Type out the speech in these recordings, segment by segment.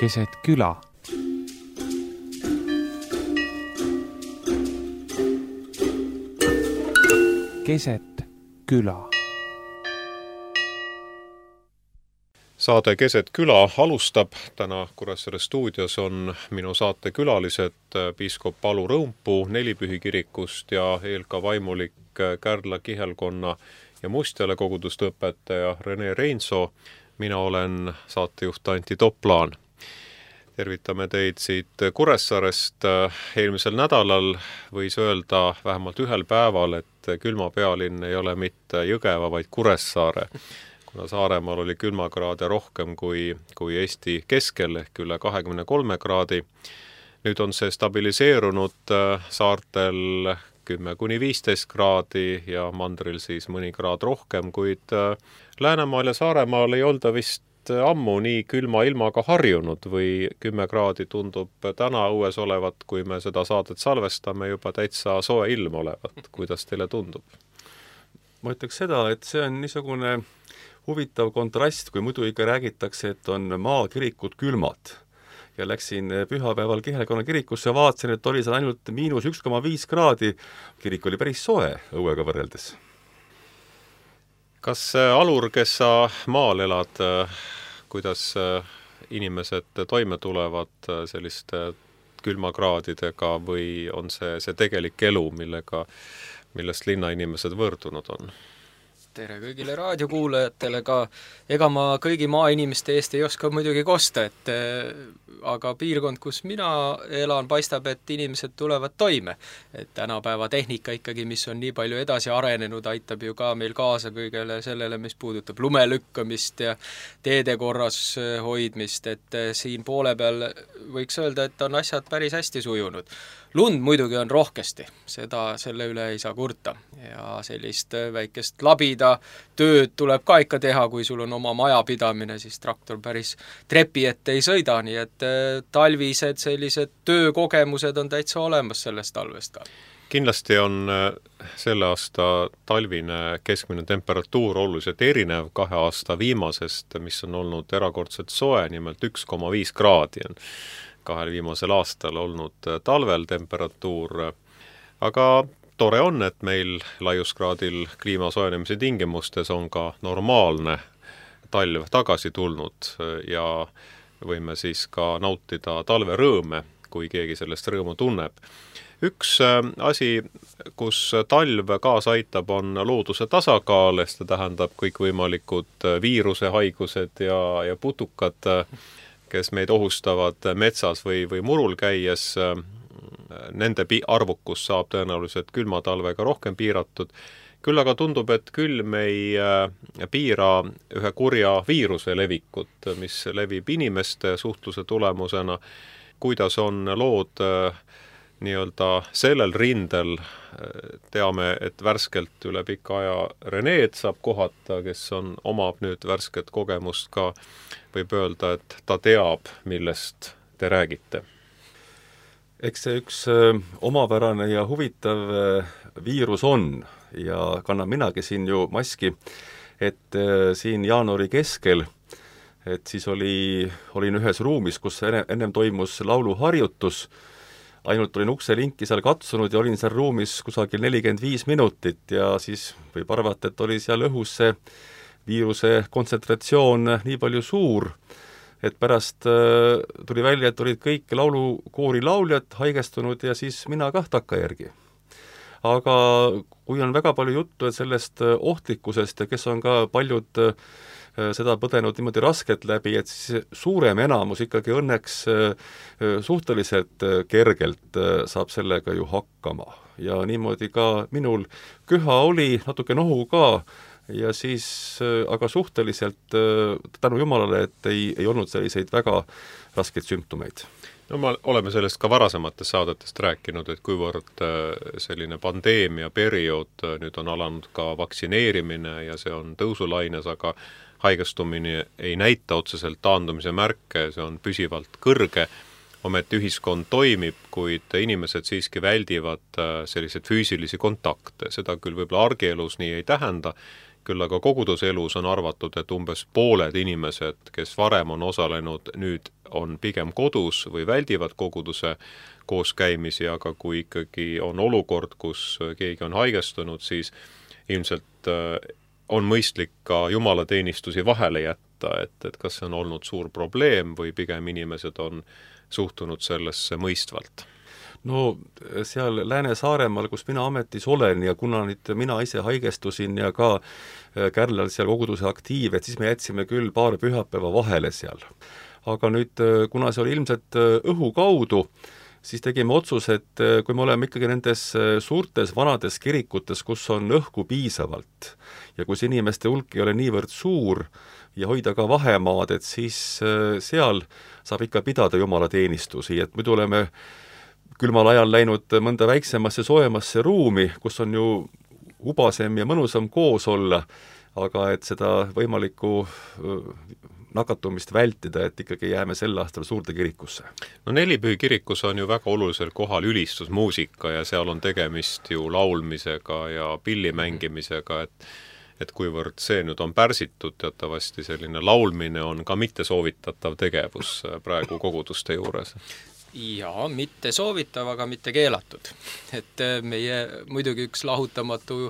keset küla. Keset küla. Saade Keset küla alustab. Täna Kuressaare stuudios on minu saate külalised piiskop Palu Rõumpuu Nelipühi kirikust ja eelka vaimulik Kärdla kihelkonna ja Mustjala koguduste õpetaja Rene Reinsoo. Mina olen saatejuht Antti Toplaan. Tervitame teid siit Kuressaarest. Eelmisel nädalal võis öelda vähemalt ühel päeval, et külmapealinn ei ole mitte Jõgeva, vaid Kuressaare. Kuna Saaremaal oli külmakraade rohkem kui Eesti keskel ehk üle 23 kraadi. Nüüd on see stabiliseerunud saartel 10–15 kraadi ja mandril siis mõni kraad rohkem, kuid Läänemaal ja Saaremaal ei olda vist ammu nii külma ilmaga harjunud või 10 kraadi tundub täna õues olevat, kui me seda saadet salvestame, juba täitsa soe ilm olevat. Kuidas teile tundub? Ma ütleks seda, et see on niisugune huvitav kontrast, kui muidu ikka räägitakse, et on maakirikud külmad. Ja läksin pühapäeval Kihelkonna kirikusse ja vaatasin, et oli seal ainult -1,5 kraadi. Kirik oli päris soe õuega võrreldes. Kas alur, kes sa maal elad, kuidas inimesed toime tulevad selliste külmakraadidega või on see tegelik elu, millest linnainimesed võõrdunud on? Tere kõigile raadiokuulajatele, ega ma kõigi maainimeste eest ei oska muidugi kosta, aga piirkond, kus mina elan, paistab, et inimesed tulevad toime. Et tänapäeva tehnika ikkagi, mis on nii palju edasi arenenud, aitab ju ka meil kaasa kõigele sellele, mis puudutab lumelükkamist ja teede korras hoidmist, et siin poole peal võiks öelda, et on asjad päris hästi sujunud. Lund muidugi on rohkesti, selle üle ei saa kurta ja sellist väikest labida tööd tuleb ka ikka teha, kui sul on oma majapidamine, siis traktor päris trepi ette ei sõida, nii et talvised sellised töökogemused on täitsa olemas sellest talvest ka. Kindlasti on selle aasta talvine keskmine temperatuur oluliselt erinev 2 aasta viimasest, mis on olnud erakordselt soe, nimelt 1,5 kraadi on 2 viimasel aastal olnud talvel temperatuur. Aga tore on, et meil laiuskraadil kliima soojenemise tingimustes on ka normaalne talv tagasi tulnud ja võime siis ka nautida talve rõõme, kui keegi sellest rõõmu tunneb. Üks asi, kus talv kaasa aitab, on looduse tasakaal, see tähendab kõikvõimalikud viirusehaigused ja putukad, kes meid ohustavad metsas või murul käies. Nende arvukus saab tõenäoliselt külmatalvega rohkem piiratud. Küll aga tundub, et külm ei piira ühe kurja viiruse levikut, mis levib inimeste suhtluse tulemusena. Kuidas on lood nii-öelda sellel rindel? Teame, et värskelt üle pika aja Reneed saab kohata, kes omab nüüd värsket kogemust ka. Võib öelda, et ta teab, millest te räägite. Eks see üks omapärane ja huvitav viirus on ja kannan minagi siin ju maski, et siin jaanuari keskel, et siis olin ühes ruumis, kus ennem toimus lauluharjutus, ainult olin ukselinki seal katsunud ja olin seal ruumis kusagil 45 minutit ja siis võib arvata, et oli seal õhus see viiruse kontsentratsioon nii palju suur, et pärast tuli välja, et olid kõik laulukoori lauljad haigestunud ja siis mina kah takkajärgi. Aga kui on väga palju juttu sellest ohtlikkusest ja kes on ka paljud seda põdenud niimoodi raskelt läbi, et siis suurem enamus ikkagi õnneks suhteliselt kergelt saab sellega ju hakkama. Ja niimoodi ka minul köha oli, natuke nohu ka, ja siis aga suhteliselt tänu Jumalale, et ei olnud selliseid väga raskeid sümptomeid. No me oleme sellest ka varasematest saadetest rääkinud, et kuivõrd selline pandeemia periood, nüüd on alanud ka vaktsineerimine ja see on tõusulaines, aga haigestumine ei näita otseselt taandumise märke, see on püsivalt kõrge. Ometi ühiskond toimib, kuid inimesed siiski väldivad selliseid füüsilisi kontakte. Seda küll võib-olla argielus nii ei tähenda, küll aga koguduselus on arvatud, et umbes pooled inimesed, kes varem on osalenud, nüüd on pigem kodus või väldivad koguduse kooskäimisi, aga kui ikkagi on olukord, kus keegi on haigestunud, siis ilmselt on mõistlik ka jumalateenistusi vahele jätta, et kas see on olnud suur probleem või pigem inimesed on suhtunud sellesse mõistvalt. No seal Lääne-Saaremaal, kus mina ametis olen ja kuna nüüd mina ise haigestusin ja ka Kärlal seal koguduse aktiiv, et siis me jätsime küll paar pühapäeva vahele seal. Aga nüüd, kuna see oli ilmselt õhu kaudu, siis tegime otsuse, et kui me oleme ikkagi nendes suurtes vanades kirikutes, kus on õhku piisavalt ja kus inimeste hulk ei ole niivõrd suur ja hoida ka vahemaad, et siis seal saab ikka pidada jumalateenistusi, et muidu oleme külmal ajal läinud mõnda väiksemasse, soojemasse ruumi, kus on ju ubasem ja mõnusam koos olla, aga et seda võimalikku nakatumist vältida, et ikkagi jääme sel aastal suurde kirikusse. No Nelipühi kirikus on ju väga olulisel kohal ülistusmuusika ja seal on tegemist ju laulmisega ja pilli mängimisega, et kuivõrd see nüüd on pärsitud, teatavasti selline laulmine on ka mitte soovitatav tegevus praegu koguduste juures. Jaa, mitte soovitav, aga mitte keelatud. Et meie muidugi üks lahutamatu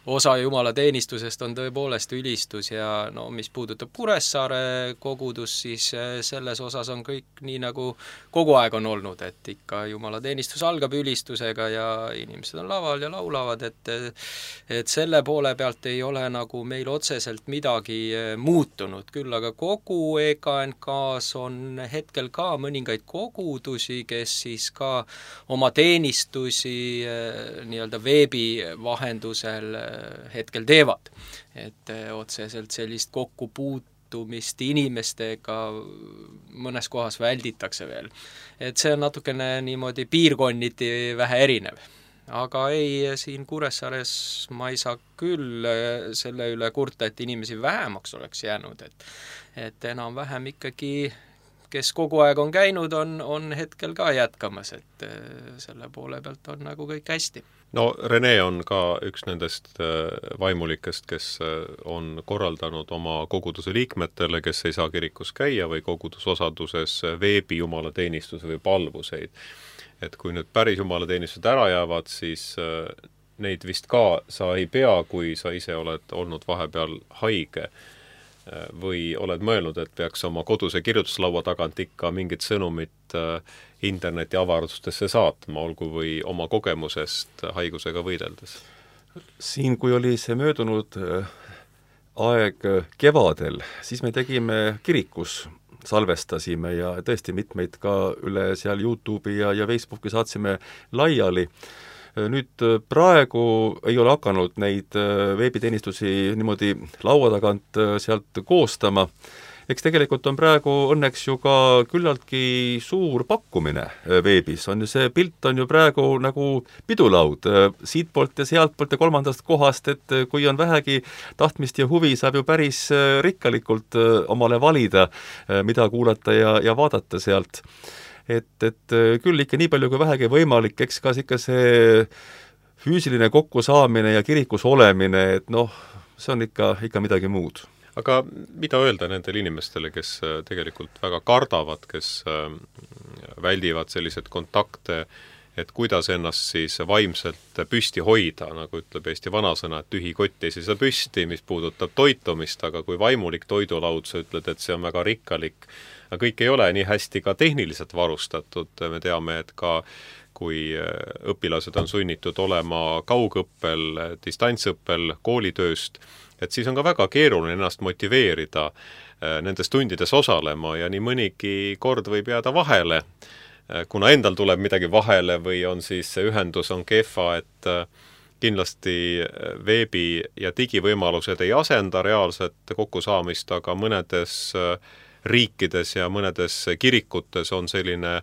osa jumalateenistusest on tõepoolest ülistus ja no mis puudutab Kuressaare kogudus, siis selles osas on kõik nii nagu kogu aeg on olnud, et ikka jumalateenistus algab ülistusega ja inimesed on laval ja laulavad, et selle poole pealt ei ole nagu meil otseselt midagi muutunud, küll aga kogu EKNK-s on hetkel ka mõningaid kogudusi, kes siis ka oma teenistusi nii-öelda veebi vahendusel hetkel teevad. Et otseselt sellist kokkupuutumist inimestega mõnes kohas välditakse veel. Et see on natukene niimoodi piirkonniti vähe erinev. Aga ei, siin Kuressaares ma ei saa küll selle üle kurta, et inimesi vähemaks oleks jäänud, et enam-vähem ikkagi kes kogu aeg on käinud, on hetkel ka jätkamas, et selle poole pealt on nagu kõik hästi. No Rene on ka üks nendest vaimulikest, kes on korraldanud oma koguduse liikmetele, kes ei saa kirikus käia või kogudusosaduses veebi jumalateenistuse või palvuseid. Et kui nüüd päris jumalateenistused ära jäävad, siis neid vist ka sa ei pea, kui sa ise oled olnud vahepeal haige või oled mõelnud, et peaks oma koduse kirjutuslaua tagant ikka mingit sõnumit interneti avardustesse saatma, olgu või oma kogemusest haigusega võideldes? Siin, kui oli see möödunud aeg kevadel, siis me tegime kirikus, salvestasime ja tõesti mitmeid ka üle seal YouTube'i ja Facebooki saatsime laiali. Nüüd praegu ei ole hakanud neid veebiteenistusi niimoodi laua tagant sealt koostama. Eks tegelikult on praegu õnneks ju ka küllaltki suur pakkumine veebis. See pilt on ju praegu nagu pidulaud siitpoolt ja sealtpoolt ja kolmandast kohast, et kui on vähegi tahtmist ja huvi, saab ju päris rikkalikult omale valida, mida kuulata ja vaadata sealt. Et küll ikka nii palju kui vähegi võimalik, eks ka ikka see füüsiline kokkusaamine ja kirikus olemine, et noh, see on ikka midagi muud. Aga mida öelda nendele inimestele, kes tegelikult väga kardavad, kes väldivad sellised kontakte, et kuidas ennast siis vaimselt püsti hoida, nagu ütleb Eesti vanasõna, et tühi kott ei seisa püsti, mis puudutab toitumist, aga kui vaimulik toidulaud, sa ütled, et see on väga rikkalik, aga kõik ei ole nii hästi ka tehniliselt varustatud, me teame, et ka kui õpilased on sunnitud olema kaugõppel, distantsõppel, koolitööst, et siis on ka väga keeruline ennast motiveerida nendes tundides osalema ja nii mõnigi kord võib jääda vahele, kuna endal tuleb midagi vahele või on siis see ühendus on kehva, et kindlasti veebi- ja digivõimalused ei asenda reaalset kokkusaamist, aga mõnedes riikides ja mõnedes kirikutes on selline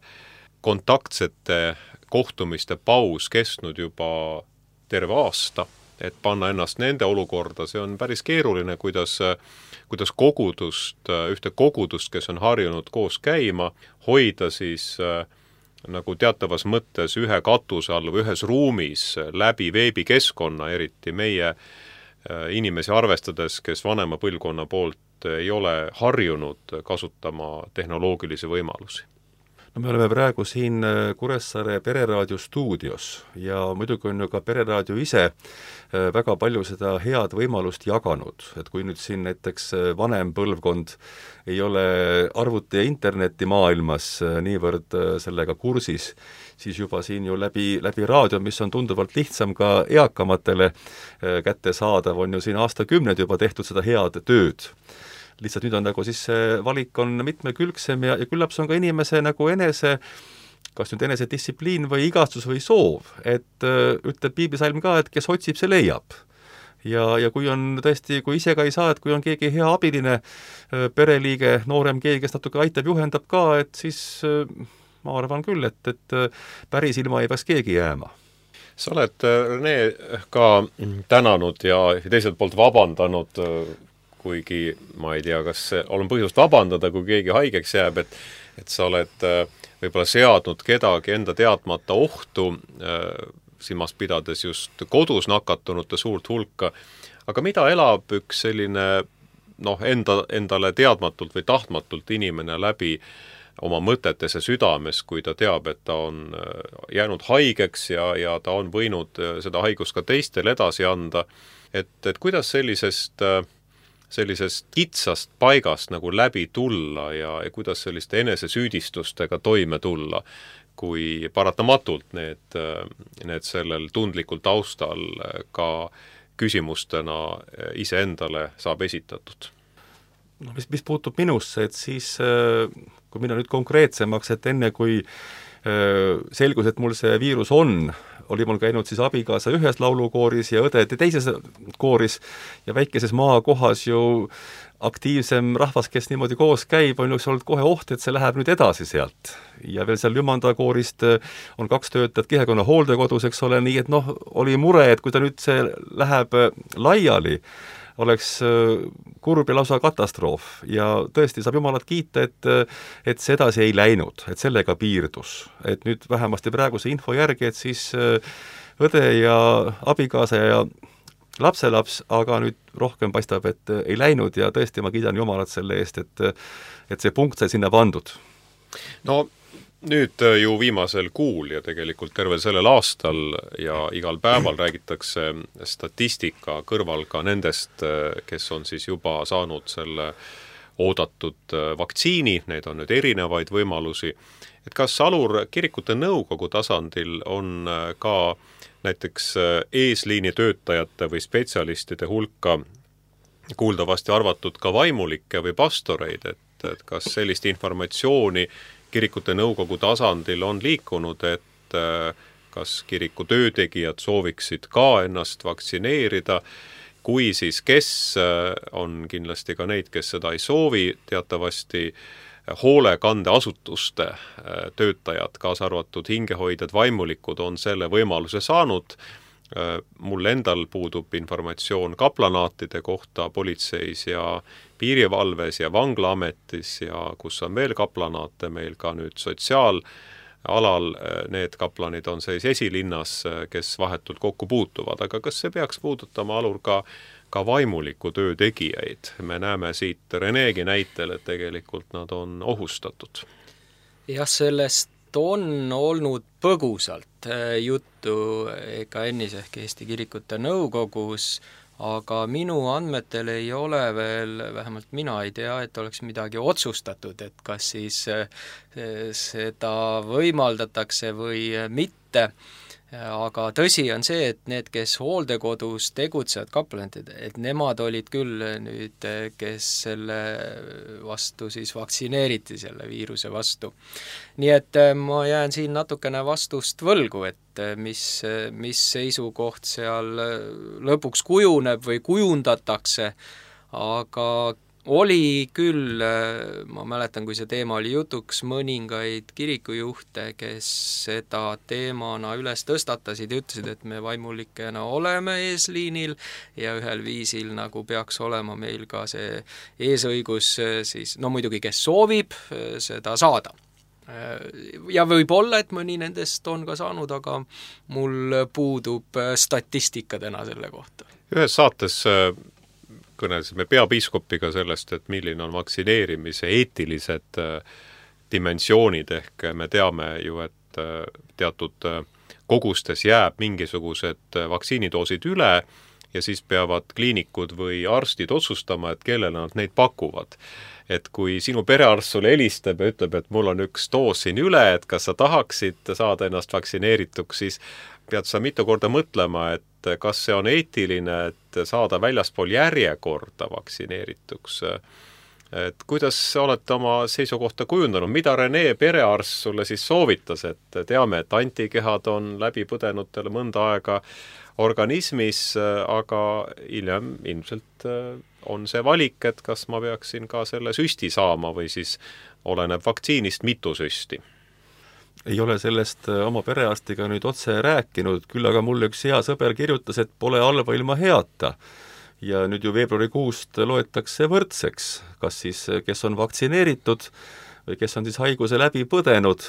kontaktsete kohtumiste paus kestnud juba terve aasta, et panna ennast nende olukorda, see on päris keeruline, kuidas ühte kogudust, kes on harjunud koos käima, hoida siis nagu teatavas mõttes ühe katuse all või ühes ruumis läbi veebikeskkonna, eriti meie inimesi arvestades, kes vanema põlvkonna poolt ei ole harjunud kasutama tehnoloogilisi võimalusi? No me oleme praegu siin Kuressaare Pereraadio stuudios ja muidugi on ju ka Pereraadio ise väga palju seda head võimalust jaganud, et kui nüüd siin näiteks vanem põlvkond ei ole arvuti- ja internetimaailmas niivõrd sellega kursis, siis juba siin ju läbi raadio, mis on tunduvalt lihtsam ka eakamatele kättesaadav, on ju siin aastakümneid juba tehtud seda head tööd. Lihtsalt nüüd on nagu siis see valik on mitmekülgsem ja küllap see on ka inimese nagu kas nüüd enese distsipliin või igastus või soov, et ütleb piiblisalm ka, et kes otsib, see leiab. Ja kui on tõesti, kui ise ka ei saa, et kui on keegi hea abiline pereliige, noorem keegi, kes natuke aitab, juhendab ka, et siis ma arvan küll, et päris ilma ei peaks keegi jääma. Sa oled, Rene, ka tänanud ja teiselt poolt vabandanud, kuigi ma ei tea, kas olen põhjust vabandada, kui keegi haigeks jääb, et sa oled võib-olla seadnud kedagi enda teadmata ohtu, silmas pidades just kodus nakatunute suurt hulka, aga mida elab üks selline endale teadmatult või tahtmatult inimene läbi oma mõtetes ja südames, kui ta teab, et ta on jäänud haigeks ja ta on võinud seda haigust ka teistele edasi anda, et kuidas sellisest kitsast paigast nagu läbi tulla ja kuidas selliste enesesüüdistustega toime tulla, kui paratamatult need sellel tundlikul taustal ka küsimustena iseendale saab esitatud? No, mis puutub minusse, et siis kui minna nüüd konkreetsemaks, et enne kui selgus, et mul see viirus on, oli mul käinud siis abikaasa ühes laulukooris ja õde teises kooris ja väikeses maakohas ju aktiivsem rahvas, kes niimoodi koos käib, on üks olnud kohe oht, et see läheb nüüd edasi sealt. Ja veel seal Jümanda koorist on 2 töötajat kihekonna hooldekodus, eks ole, nii et oli mure, et kui ta nüüd see läheb laiali, oleks kurb ja lausa katastroof ja tõesti saab Jumalat kiita, et see edasi ei läinud, et sellega piirdus. Et nüüd vähemasti praeguse info järgi, et siis õde ja abikaasa ja lapselaps, aga nüüd rohkem paistab, et ei läinud ja tõesti ma kiidan Jumalat selle eest, et see punkt sai sinna pandud. No nüüd ju viimasel kuul ja tegelikult tervel sellel aastal ja igal päeval räägitakse statistika kõrval ka nendest, kes on siis juba saanud selle oodatud vaktsiini, need on nüüd erinevaid võimalusi. Et kas Alur kirikute nõukogu tasandil on ka näiteks eesliini töötajate või spetsialistide hulka kuuldavasti arvatud ka vaimulikke või pastoreid, et kas sellist informatsiooni kirikute nõukogu tasandil on liikunud, et kas kiriku töötegijad sooviksid ka ennast vaktsineerida, kui siis kes on kindlasti ka neid, kes seda ei soovi, teatavasti hoolekandeasutuste töötajad, kaasa arvatud hingehoidjad, vaimulikud on selle võimaluse saanud. Mul endal puudub informatsioon kaplanaatide kohta politseis ja piirivalves ja vanglaametis ja kus on veel kaplanaate, meil ka nüüd sotsiaalalal need kaplanid on seis esilinnas, kes vahetult kokku puutuvad, aga kas see peaks puudutama, Alur, ka vaimuliku töö tegijaid? Me näeme siit Renegi näitel, et tegelikult nad on ohustatud. Jah, sellest on olnud põgusalt juttu ka ennis ehk Eesti Kirikute Nõukogus, aga minu andmetel ei ole veel, vähemalt mina ei tea, et oleks midagi otsustatud, et kas siis seda võimaldatakse või mitte. Aga tõsi on see, et need, kes hooldekodus tegutsevad kaplanid, et nemad olid küll nüüd, kes selle vastu siis vaktsineeriti, selle viiruse vastu. Nii et ma jään siin natukene vastust võlgu, et mis seisukoht seal lõpuks kujuneb või kujundatakse, aga oli küll, ma mäletan, kui see teema oli jutuks, mõningaid kirikujuhte, kes seda teemana üles tõstatasid ja ütlesid, et me vaimulikena oleme eesliinil ja ühel viisil nagu peaks olema meil ka see eesõigus siis, no muidugi, kes soovib seda saada. Ja võib-olla, et mõni nendest on ka saanud, aga mul puudub statistika täna selle kohta. Ühes saates kõnelesime peapiiskopiga sellest, et milline on vaktsineerimise eetilised dimensioonid, ehk me teame ju, et teatud kogustes jääb mingisugused vaktsiinidoosid üle ja siis peavad kliinikud või arstid otsustama, et kellele nad neid pakuvad. Et kui sinu perearst sulle helistab ja ütleb, et mul on üks doos siin üle, et kas sa tahaksid saada ennast vaktsineerituks, siis pead sa mitu korda mõtlema, et kas see on eetiline, et saada väljaspool järjekorda vaktsineerituks. Et kuidas olete oma seisukohta kujundanud, mida Rene perearst sulle siis soovitas, et teame, et antikehad on läbi põdenutele mõnda aega organismis, aga hiljem ilmselt on see valik, et kas ma peaksin ka selle süsti saama või siis oleneb vaktsiinist mitu süsti. Ei ole sellest oma perearstiga nüüd otse rääkinud, küll aga mulle üks hea sõber kirjutas, et pole halba ilma heata. Ja nüüd ju veebruarikuust loetakse võrdseks, kas siis kes on vaktsineeritud või kes on siis haiguse läbi põdenud.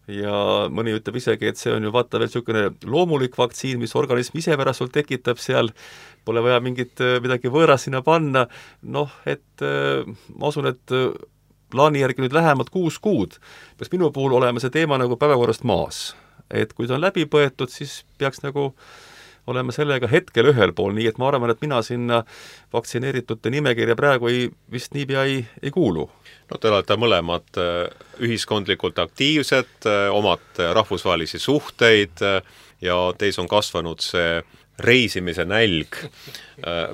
Ja mõni ütleb isegi, et see on ju vaata veel niisugune loomulik vaktsiin, mis organism ise pärast sul tekitab seal, pole vaja midagi võõrast sinna panna, noh, et ma usun, et plaani järgi nüüd lähemad 6 kuud peaks minu puhul olema see teema nagu päevakorrast maas. Et kui ta on läbi põetud, siis peaks nagu olema sellega hetkel ühel pool, nii et ma arvan, et mina sinna vaktsineeritute nimekirja praegu vist niipea ei kuulu. No te olete mõlemad ühiskondlikult aktiivsed, omad rahvusvahelisi suhteid ja teis on kasvanud see reisimise nälg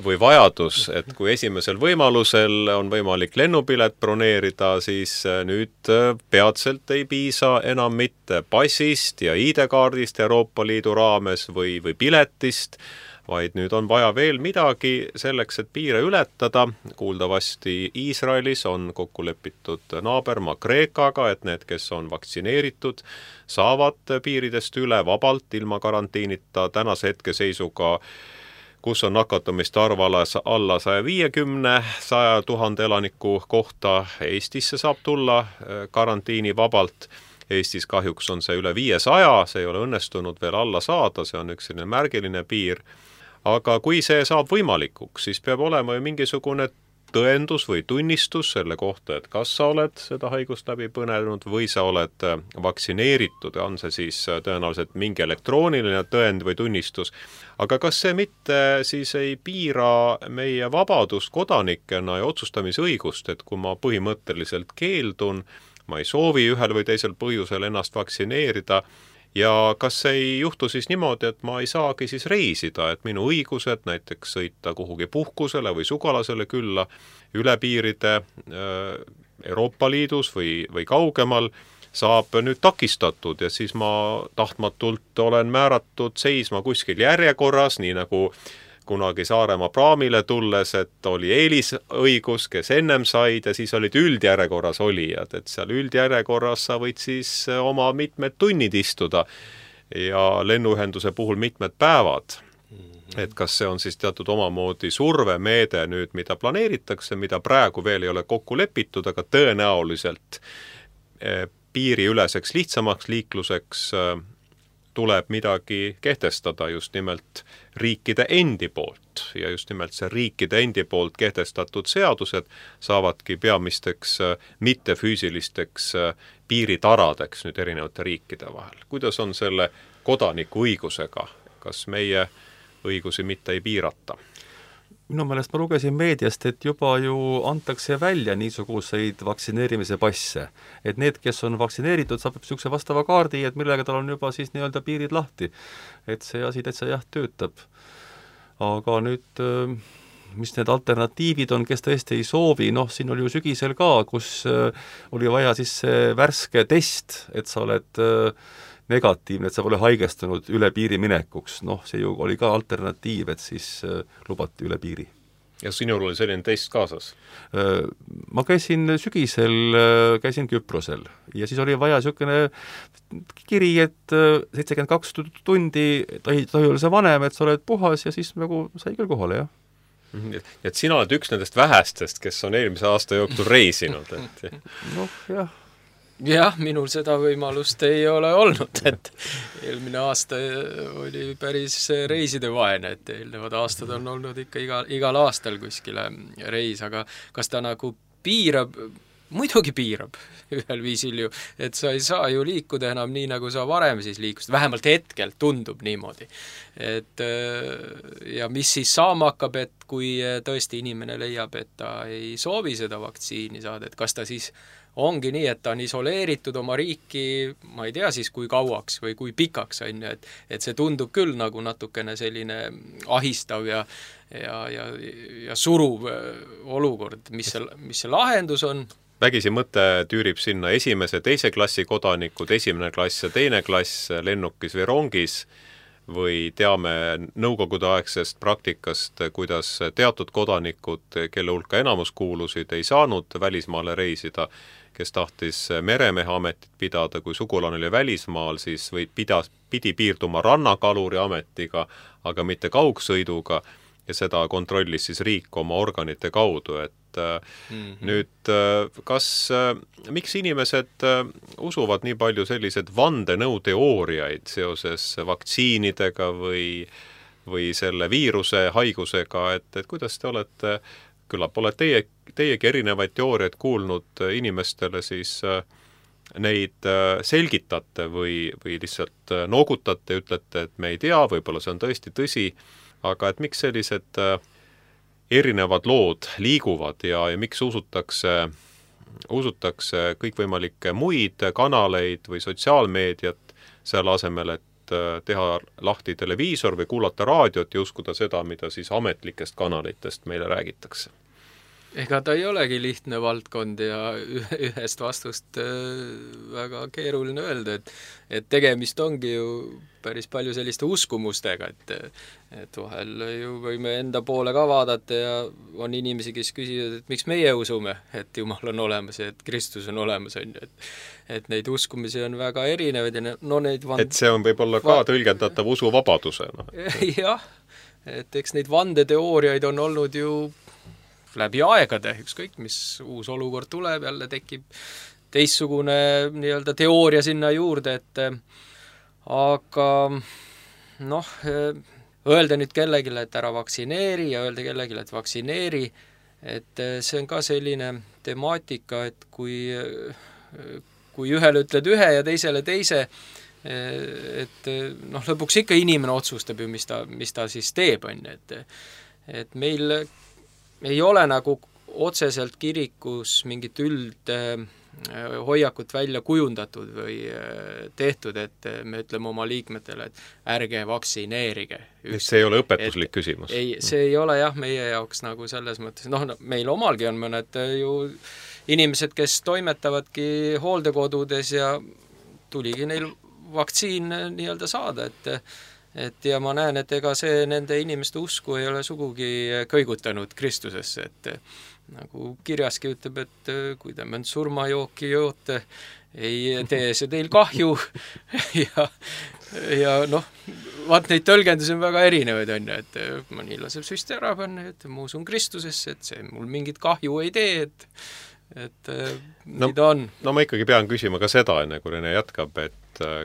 või vajadus, et kui esimesel võimalusel on võimalik lennupilet broneerida, siis nüüd peatselt ei piisa enam mitte passist ja ID-kaardist Euroopa Liidu raames või piletist, vaid nüüd on vaja veel midagi selleks, et piire ületada. Kuuldavasti Iisraelis on kokku lepitud naabermaa Kreekaga, et need, kes on vaktsineeritud, saavad piiridest üle vabalt, ilma karantiinita. Tänase hetkeseisuga, kus on nakatumiste arv alla 150, 100 000 elaniku kohta, Eestisse saab tulla karantiini vabalt. Eestis kahjuks on see üle 500, see ei ole õnnestunud veel alla saada, see on üks selline märgiline piir. Aga kui see saab võimalikuks, siis peab olema ju mingisugune tõendus või tunnistus selle kohta, et kas sa oled seda haigust läbi põnenud või sa oled vaktsineeritud, on see siis tõenäoliselt mingi elektrooniline tõend või tunnistus. Aga kas see mitte siis ei piira meie vabadust kodanikena ja otsustamisõigust, et kui ma põhimõtteliselt keeldun, ma ei soovi ühel või teisel põhjusel ennast vaktsineerida, ja kas ei juhtu siis niimoodi, et ma ei saagi siis reisida, et minu õigused näiteks sõita kuhugi puhkusele või sugulasele külla üle piiride Euroopa Liidus või kaugemal saab nüüd takistatud ja siis ma tahtmatult olen määratud seisma kuskil järjekorras, nii nagu kunagi Saaremaa praamile tulles, et oli eelisõigus, kes ennem said ja siis olid üldjärjekorras olijad, et seal üldjärjekorras sa võid siis oma mitmed tunnid istuda ja lennuühenduse puhul mitmed päevad. Et kas see on siis teatud omamoodi survemeede nüüd, mida planeeritakse, mida praegu veel ei ole kokku lepitud, aga tõenäoliselt piiriüleseks lihtsamaks liikluseks tuleb midagi kehtestada just nimelt riikide endi poolt ja just nimelt see riikide endi poolt kehtestatud seadused saavadki peamisteks mittefüüsilisteks piiritaradeks nüüd erinevate riikide vahel. Kuidas on selle kodaniku õigusega? Kas meie õigusi mitte ei piirata? Minu meelest ma lugesin meediast, et juba ju antakse välja niisuguseid vaktsineerimise passe. Et need, kes on vaktsineeritud, saab niisuguse vastava kaardi, et millega tal on juba siis nii-öelda piirid lahti. Et see asi täitsa jah töötab. Aga nüüd, mis need alternatiivid on, kes tõesti ei soovi, noh, siin oli ju sügisel ka, kus oli vaja siis see värske test, et sa oled negatiivne, et sa pole haigestunud üle piiri minekuks. Noh, see ju oli ka alternatiiv, et siis lubati üle piiri. Ja sinul oli selline test kaasas? Ma käisin sügisel, käisin Küprosel ja siis oli vaja niisugune kiri, et 72 tundi tohi olla see vanem, et sa oled puhas ja siis nagu sai küll kohale, jah. Et sina oled üks nendest vähestest, kes on eelmise aasta jooksul reisinud. Et... noh, jah. Jah, minul seda võimalust ei ole olnud, et eelmine aasta oli päris reisidevaene, et eelnevad aastad on olnud ikka igal aastal kuskile reis, aga kas ta nagu piirab, muidugi piirab ühel viisil ju, et sa ei saa ju liikuda enam nii, nagu sa varem siis liikusid, vähemalt hetkel tundub niimoodi. Et ja mis siis saama hakkab, et kui tõesti inimene leiab, et ta ei soovi seda vaktsiini saada, et kas ta siis ongi nii, et ta on isoleeritud oma riiki, ma ei tea siis kui kauaks või kui pikaks, et see tundub küll nagu natukene selline ahistav ja suruv olukord, mis see lahendus on. Vägisi mõte tüürib sinna esimese, teise klassi kodanikud, esimene klass ja teine klass lennukis või rongis, või teame nõukogudeaegsest praktikast, kuidas teatud kodanikud, kelle hulka enamus kuulusid, ei saanud välismaale reisida, kes tahtis meremehe ametit pidada, kui sugulane oli välismaal, siis pidi piirduma rannakaluri ametiga, aga mitte kaugsõiduga, ja seda kontrollis siis riik oma organite kaudu, et nüüd miks inimesed usuvad nii palju sellised vandenõuteooriaid seoses vaktsiinidega või selle viiruse haigusega, et kuidas te olete, küllap olete teiegi erinevaid teooriaid kuulnud inimestele, siis neid selgitate või lihtsalt noogutate ja ütlete, et me ei tea, võib-olla see on tõesti tõsi, aga et miks sellised erinevad lood liiguvad ja miks usutakse kõikvõimalikke muid kanaleid või sotsiaalmeediat selle asemel, et teha lahti televiisor või kuulata raadiot ja uskuda seda, mida siis ametlikest kanalitest meile räägitakse. Ega ta ei olegi lihtne valdkond ja ühest vastust väga keeruline öelda, et tegemist ongi ju päris palju selliste uskumustega, et vahel ju võime enda poole ka vaadata ja on inimesi, kes küsivad, et miks meie usume, et Jumal on olemas ja et Kristus on olemas, et neid uskumisi on väga erinevaid ja et see on võib-olla ka tõlgendatav usuvabadusena. Jah, et eks neid vandeteooriaid on olnud ju läbi aegade, ükskõik mis uus olukord tuleb, jälle tekib teistsugune nii-öelda teooria sinna juurde, et aga öelda nüüd kellelegi, et ära vaktsineeri ja öelda kellelegi, et vaktsineeri, et see on ka selline temaatika, et kui ühele ütled ühe ja teisele teise, et lõpuks ikka inimene otsustab ju, mis ta siis teeb, et meil ei ole nagu otseselt kirikus mingit hoiakut välja kujundatud või tehtud, et me ütleme oma liikmetele, et ärge vaktsineerige. See ei ole õpetuslik küsimus. Ei, see ei ole jah meie jaoks nagu selles mõttes, meil omalgi on mõned ju inimesed, kes toimetavadki hooldekodudes ja tuligi neil vaktsiin nii-öelda saada, et ja ma näen, et ega see nende inimeste usku ei ole sugugi kõigutanud Kristusesse, et nagu kirjaski ütleb, et kui te mõnd surmajooki joote, ei tee see teil kahju ja vaat neid tõlgendusi on väga erinevaid, et mõni laseb süsti ära panna, et ma usun Kristusesse, et see mul mingit kahju ei tee, et nii ta on. Ma ikkagi pean küsima ka seda, enne kui Rene jätkab, et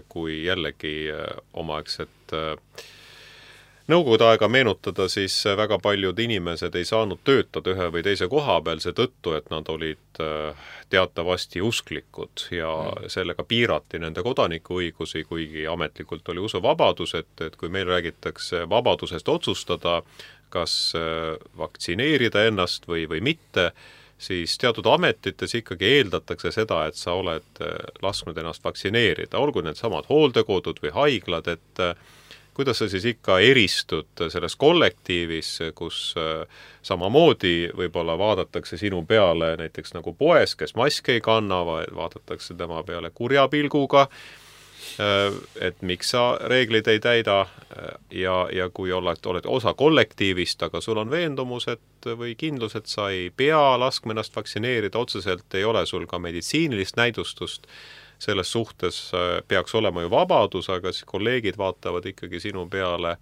kui jällegi omaaegset nõukogude aega meenutada, siis väga paljud inimesed ei saanud töötada ühe või teise koha peal seetõttu, et nad olid teatavasti usklikud ja sellega piirati nende kodanikuõigusi, kuigi ametlikult oli usuvabadus, et kui meil räägitakse vabadusest otsustada, kas vaktsineerida ennast või mitte, siis teatud ametites ikkagi eeldatakse seda, et sa oled lasknud ennast vaktsineerida, olgu need samad hooldekodud või haiglad, et kuidas sa siis ikka eristud selles kollektiivis, kus samamoodi võib-olla vaadatakse sinu peale näiteks nagu poes, kes maski ei kanna, vaadatakse tema peale kurja pilguga, et miks sa reeglid ei täida ja kui oled osa kollektiivist, aga sul on veendumus või kindlus, et sa ei pea laskma ennast vaktsineerida, otseselt ei ole sul ka meditsiinilist näidustust, selles suhtes peaks olema ju vabadus, aga siis kolleegid vaatavad ikkagi sinu peale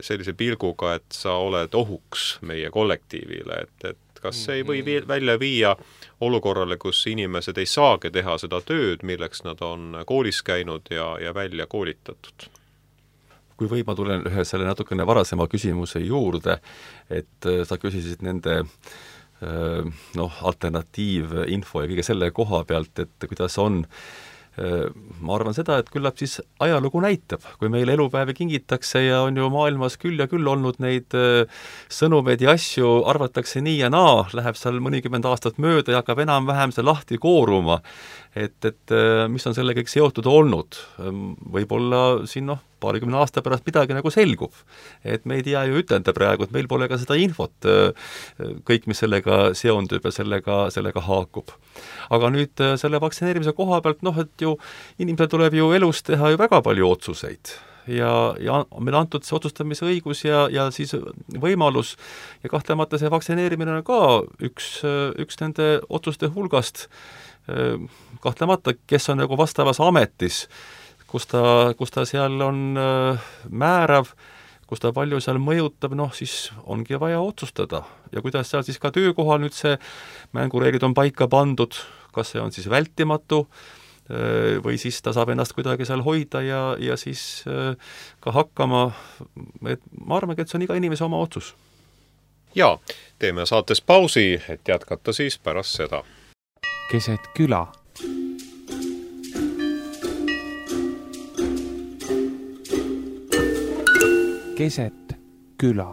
sellise pilguga, et sa oled ohuks meie kollektiivile, et kas see ei või välja viia olukorrale, kus inimesed ei saagi teha seda tööd, milleks nad on koolis käinud ja välja koolitatud? Kui võib, ma tulen ühe selle natukene varasema küsimuse juurde, et sa küsisid nende alternatiivinfo ja kõige selle koha pealt, et kuidas on. Ma arvan seda, et küllap siis ajalugu näitab, kui meile elupäevi kingitakse ja on ju maailmas küll ja küll olnud neid sõnumeid ja asju, arvatakse nii ja naa, läheb seal mõnikümmend aastat mööda ja hakkab enam-vähem see lahti kooruma, et mis on selle kõik seotud olnud. Võib-olla siin paarikümne aasta pärast midagi nagu selgub. Et me ei tea ju ütelda praegu, et meil pole ka seda infot, kõik, mis sellega seondub ja sellega haakub. Aga nüüd selle vaktsineerimise koha pealt, et ju inimesel tuleb ju elus teha ju väga palju otsuseid. Ja meil antud see otsustamise õigus ja siis võimalus ja kahtlemata see vaktsineerimine on ka üks nende otsuste hulgast, kahtlemata, kes on nagu vastavas ametis, kus ta seal on määrav, kus ta palju seal mõjutab, siis ongi vaja otsustada. Ja kuidas seal siis ka töökohal nüüd see mängureeglid on paika pandud, kas see on siis vältimatu või siis ta saab ennast kuidagi seal hoida ja siis ka hakkama, et ma arvan, et see on iga inimese oma otsus. Ja, teeme saates pausi, et jätkata siis pärast seda. Keset küla. Keset küla.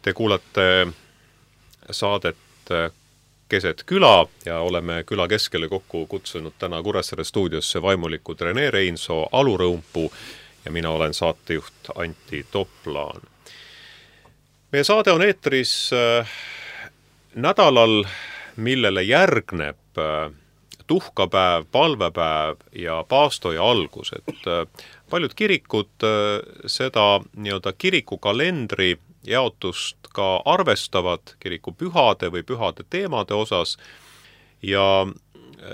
Te kuulate saadet Keset küla ja oleme küla keskele kokku kutsunud täna Kuressaare stuudiosse vaimulikud Rene Reinsoo, Alu Rõumpuu ja mina olen saatejuht Antti Toplaan. Meie saade on eetris nädalal, millele järgneb tuhkapäev, palvepäev ja paastoja algus. Et paljud kirikud seda nii-öelda kirikukalendri jaotust ka arvestavad kiriku pühade või pühade teemade osas ja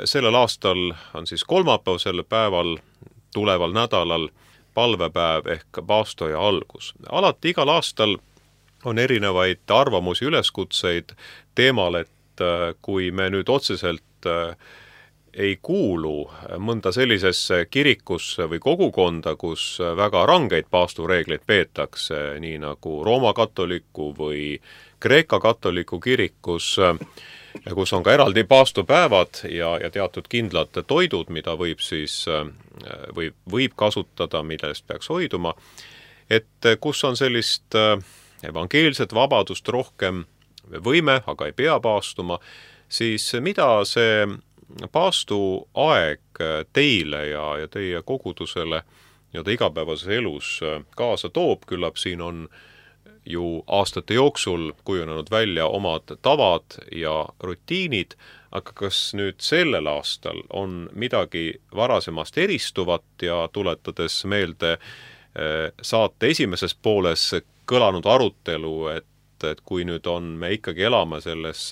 sellel aastal on siis kolmapäevasel päeval, tuleval nädalal palvepäev ehk paastoja algus. Alati igal aastal on erinevaid arvamusi, üleskutseid teemal, et kui me nüüd otseselt ei kuulu mõnda sellisesse kirikusse või kogukonda, kus väga rangeid paastureegleid peetakse, nii nagu Rooma katoliku või Kreeka katoliku kirikus, kus on ka eraldi paastupäevad ja teatud kindlad toidud, mida võib kasutada, millest peaks hoiduma, et kus on sellist evangeelset vabadust rohkem, võime, aga ei pea paastuma, siis mida see paastuaeg teile ja teie kogudusele igapäevases elus kaasa toob, küllap siin on ju aastate jooksul kujunenud välja omad tavad ja rutiinid, aga kas nüüd sellel aastal on midagi varasemast eristuvat ja tuletades meelde saate esimeses pooles kõlanud arutelu, et kui nüüd me ikkagi elame selles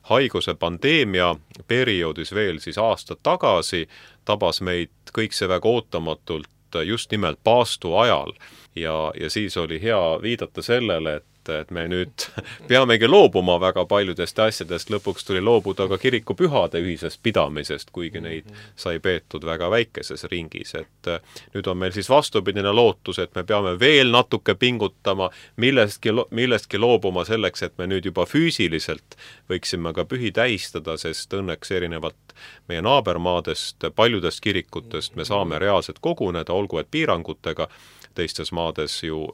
haiguse pandeemia perioodis veel siis aasta tagasi, tabas meid kõik see väga ootamatult just nimelt paastu ajal ja siis oli hea viidata sellele, et me nüüd peamegi loobuma väga paljudest asjadest, lõpuks tuli loobuda ka kirikupühade ühisest pidamisest, kuigi neid sai peetud väga väikeses ringis, et nüüd on meil siis vastupidine lootus, et me peame veel natuke pingutama, millestki loobuma selleks, et me nüüd juba füüsiliselt võiksime ka pühi tähistada, sest õnneks erinevalt meie naabermaadest, paljudest kirikutest me saame reaalselt koguneda, olgu et piirangutega, teistes maades ju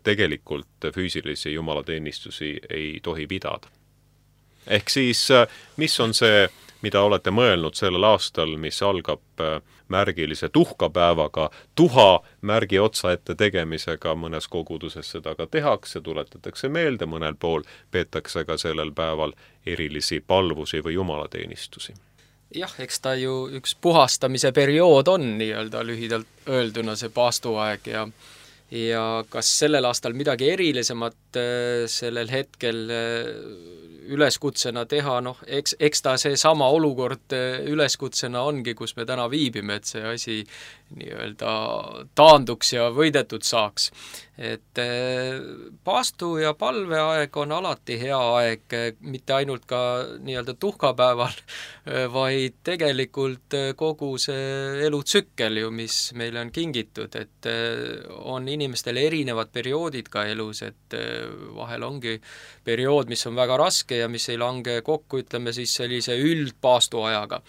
tegelikult füüsilisi jumalateenistusi ei tohi pidada. Ehk siis, mis on see, mida olete mõelnud sellel aastal, mis algab märgilise tuhkapäevaga, tuha märgi otsa ette tegemisega, mõnes koguduses seda ka tehakse, tuletatakse meelde, mõnel pool peetakse ka sellel päeval erilisi palvusi või jumalateenistusi. Jah, eks ta ju üks puhastamise periood on nii-öelda lühidalt öelduna see paastuaeg ja kas sellel aastal midagi erilisemat sellel hetkel üleskutsena teha, eks ta see sama olukord üleskutsena ongi, kus me täna viibime, et see asi nii-öelda taanduks ja võidetud saaks. Et paastu- ja palveaeg on alati hea aeg, mitte ainult ka nii-öelda tuhkapäeval, vaid tegelikult kogu see elutsükkel ju, mis meile on kingitud, et on inimestel erinevad perioodid ka elus, et vahel ongi periood, mis on väga raske ja mis ei lange kokku, ütleme siis sellise üldpaastuajaga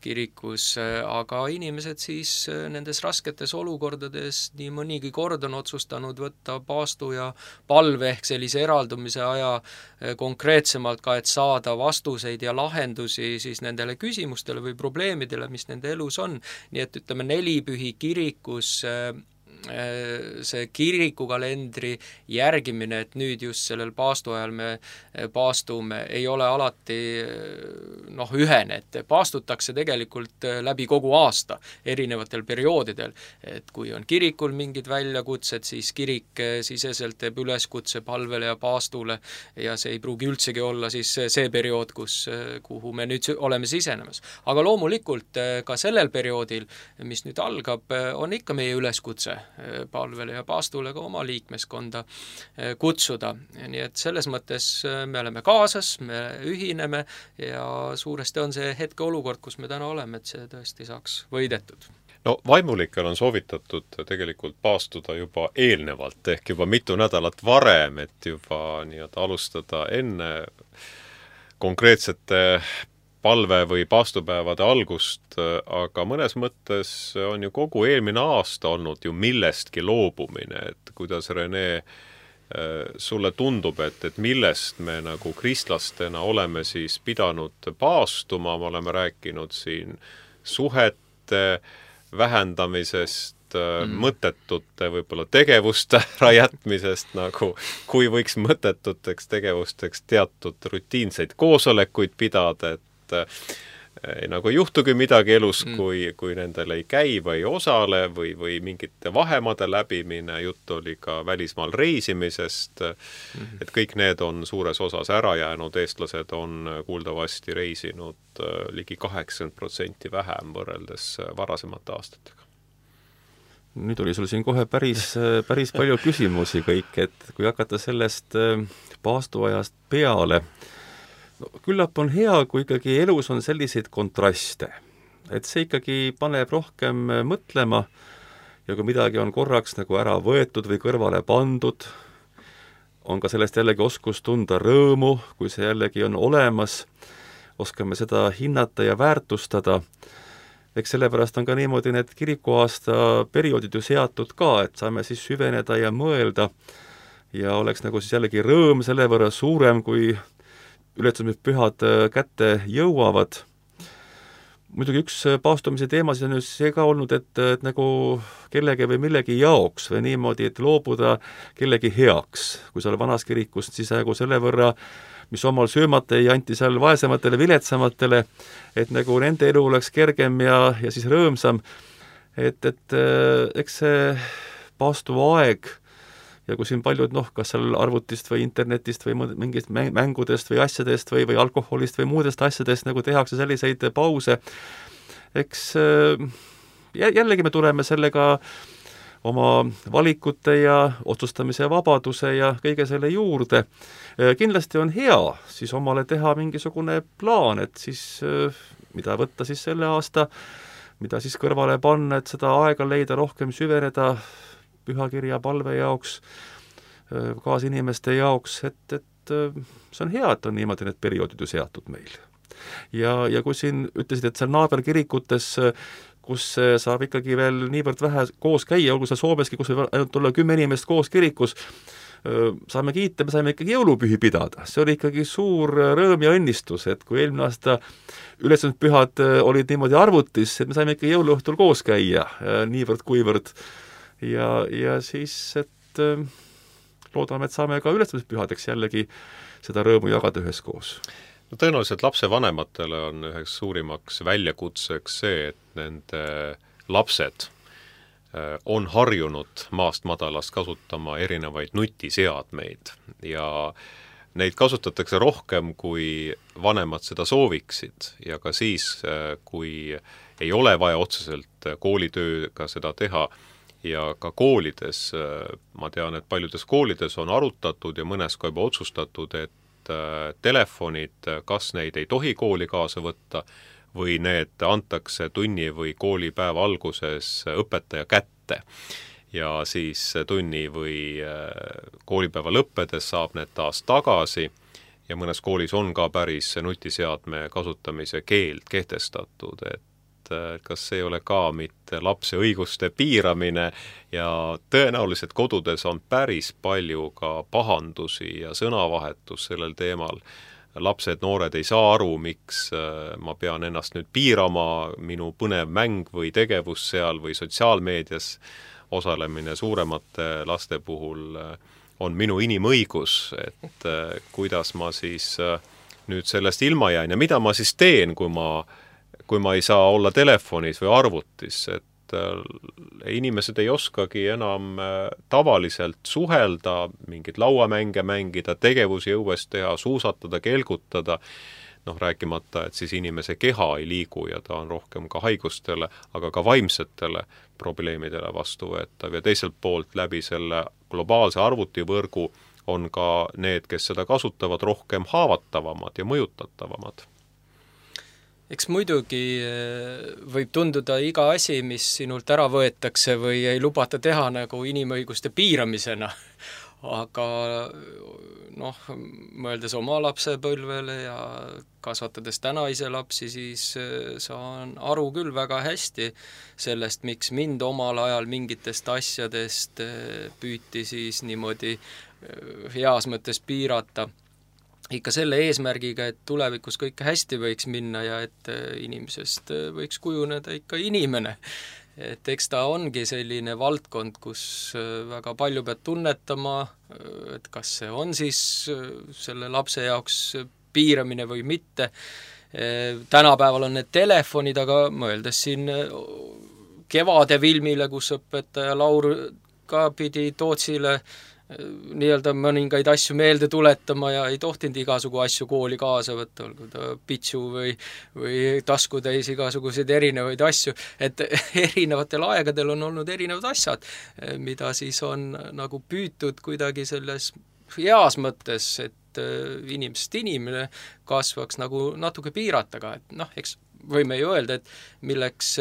kirikus, aga inimesed siis nendes rasketes olukordades nii mõnigi kord on otsustanud võtta paastu ja palve ehk sellise eraldumise aja konkreetsemalt ka, et saada vastuseid ja lahendusi siis nendele küsimustele või probleemidele, mis nende elus on. Nii et ütleme, nelipühi kirikus see kirikukalendri järgimine, et nüüd just sellel paastu ajal me paastume, ei ole alati ühene, et paastutakse tegelikult läbi kogu aasta erinevatel perioodidel, et kui on kirikul mingid väljakutsed, siis kirik siseselt teeb üleskutse palvele ja paastule ja see ei pruugi üldsegi olla siis see periood, kuhu me nüüd oleme sisenemas. Aga loomulikult ka sellel perioodil, mis nüüd algab, on ikka meie üleskutse palvele ja paastule ka oma liikmeskonda kutsuda. Nii et selles mõttes me oleme kaasas, me ühineme ja suuresti on see hetke olukord, kus me täna oleme, et see tõesti saaks võidetud. No vaimulikel on soovitatud tegelikult paastuda juba eelnevalt, ehk juba mitu nädalat varem, et juba alustada enne konkreetsete palve või paastupäevade algust, aga mõnes mõttes on ju kogu eelmine aasta olnud ju millestki loobumine, et kuidas, Rene, sulle tundub, et millest me nagu kristlastena oleme siis pidanud paastuma, me oleme rääkinud siin suhete vähendamisest, mõttetute võib-olla tegevuste jätmisest, nagu kui võiks mõttetuteks tegevusteks teatud rutiinseid koosolekuid pidada, et nagu ei juhtugi midagi elus, kui nendel ei käi või ei osale või mingite vahemade läbimine, jutt oli ka välismaal reisimisest, et kõik need on suures osas ära jäänud, eestlased on kuuldavasti reisinud ligi 80% vähem võrreldes varasemate aastatega. Nüüd oli sul siin kohe päris palju küsimusi kõik, et kui hakata sellest paastuajast peale, no, küllap on hea, kui ikkagi elus on selliseid kontraste. Et see ikkagi paneb rohkem mõtlema ja kui midagi on korraks nagu ära võetud või kõrvale pandud, on ka sellest jällegi oskus tunda rõõmu, kui see jällegi on olemas, oskame seda hinnata ja väärtustada. Eks sellepärast on ka niimoodi need kirikuaasta perioodid ju seatud ka, et saame siis süveneda ja mõelda ja oleks nagu siis jällegi rõõm selle võrra suurem, kui ülestõusmispühad kätte jõuavad. Muidugi üks paastumise teemasid on ju see ka olnud, et nagu kellegi või millegi jaoks või niimoodi, et loobuda kellegi heaks. Kui seal vanas kirikust, siis nagu selle võrra, mis omal söömata ei anti seal vaesematele, viletsamatele, et nagu nende elu oleks kergem ja siis rõõmsam. Et eks see paastuaeg ja kui siin paljud, kas seal arvutist või internetist või mingist mängudest või asjadest või alkoholist või muudest asjadest nagu tehakse selliseid pause, eks jällegi me tuleme sellega oma valikute ja otsustamise vabaduse ja kõige selle juurde. Kindlasti on hea siis omale teha mingisugune plaan, et siis mida võtta siis selle aasta, mida siis kõrvale panna, et seda aega leida, rohkem süveneda pühakirja palve jaoks, kaasinimeste jaoks, et see on hea, et on niimoodi need perioodid ju seatud meil. Ja kui siin ütlesid, et seal naaberkirikutes, kus saab ikkagi veel niivõrd vähe koos käia, olgu seal Soomeski, kus võib ainult olla 10 inimest koos kirikus, saame kiita, me saime ikkagi jõulupühi pidada. See oli ikkagi suur rõõm ja õnnistus, et kui eelmine aasta ülestõusmispühad olid niimoodi arvutis, et me saime ikka jõuluõhtul koos käia, niivõrd-kuivõrd. Ja siis, et loodame, et saame ka ülestõusmispühadeks jällegi seda rõõmu jagada üheskoos. No tõenäoliselt lapsevanematele on üheks suurimaks väljakutseks see, et nende lapsed on harjunud maast madalast kasutama erinevaid nutiseadmeid ja neid kasutatakse rohkem, kui vanemad seda sooviksid ja ka siis, kui ei ole vaja otseselt koolitööga seda teha ja ka koolides, ma tean, et paljudes koolides on arutatud ja mõnes ka juba otsustatud, et telefonid, kas neid ei tohi kooli kaasa võtta või need antakse tunni või koolipäeva alguses õpetaja kätte ja siis tunni või koolipäeva lõppedes saab need taas tagasi ja mõnes koolis on ka päris nutiseadme kasutamise keeld kehtestatud, et kas see ei ole ka mitte lapse õiguste piiramine ja tõenäoliselt kodudes on päris palju ka pahandusi ja sõnavahetus sellel teemal. Lapsed, noored ei saa aru, miks ma pean ennast nüüd piirama, minu põnev mäng või tegevus seal või sotsiaalmeedias osalemine suuremate laste puhul on minu inimõigus, et kuidas ma siis nüüd sellest ilma jään ja mida ma siis teen, kui ma ei saa olla telefonis või arvutis, et inimesed ei oskagi enam tavaliselt suhelda, mingeid lauamänge mängida, tegevusi õues teha, suusatada, kelgutada, rääkimata, et siis inimese keha ei liigu ja ta on rohkem ka haigustele, aga ka vaimsetele probleemidele vastuvõetav ja teiselt poolt läbi selle globaalse arvutivõrgu on ka need, kes seda kasutavad, rohkem haavatavamad ja mõjutatavamad. Eks muidugi võib tunduda iga asi, mis sinult ära võetakse või ei lubata teha nagu inimõiguste piiramisena, aga mõeldes oma lapsepõlvele ja kasvatades täna ise lapsi, siis saan aru küll väga hästi sellest, miks mind omal ajal mingitest asjadest püüti siis niimoodi heas mõttes piirata. Ikka selle eesmärgiga, et tulevikus kõike hästi võiks minna ja et inimesest võiks kujuneda ikka inimene. Et eks ta ongi selline valdkond, kus väga palju pead tunnetama, et kas see on siis selle lapse jaoks piiramine või mitte. Tänapäeval on need telefonid, aga mõeldes siin Kevade filmile, kus õpetaja Laur ka pidi Tootsile nii-öelda mõningaid asju meelde tuletama ja ei tohtinud igasugu asju kooli kaasa võtta, olgu ta pitsu või taskutäis igasuguseid erinevaid asju, et erinevatel aegadel on olnud erinevad asjad, mida siis on nagu püütud kuidagi selles heas mõttes, et inimesest inimene kasvaks nagu natuke piirataga, et noh, eks võime ju öelda, et milleks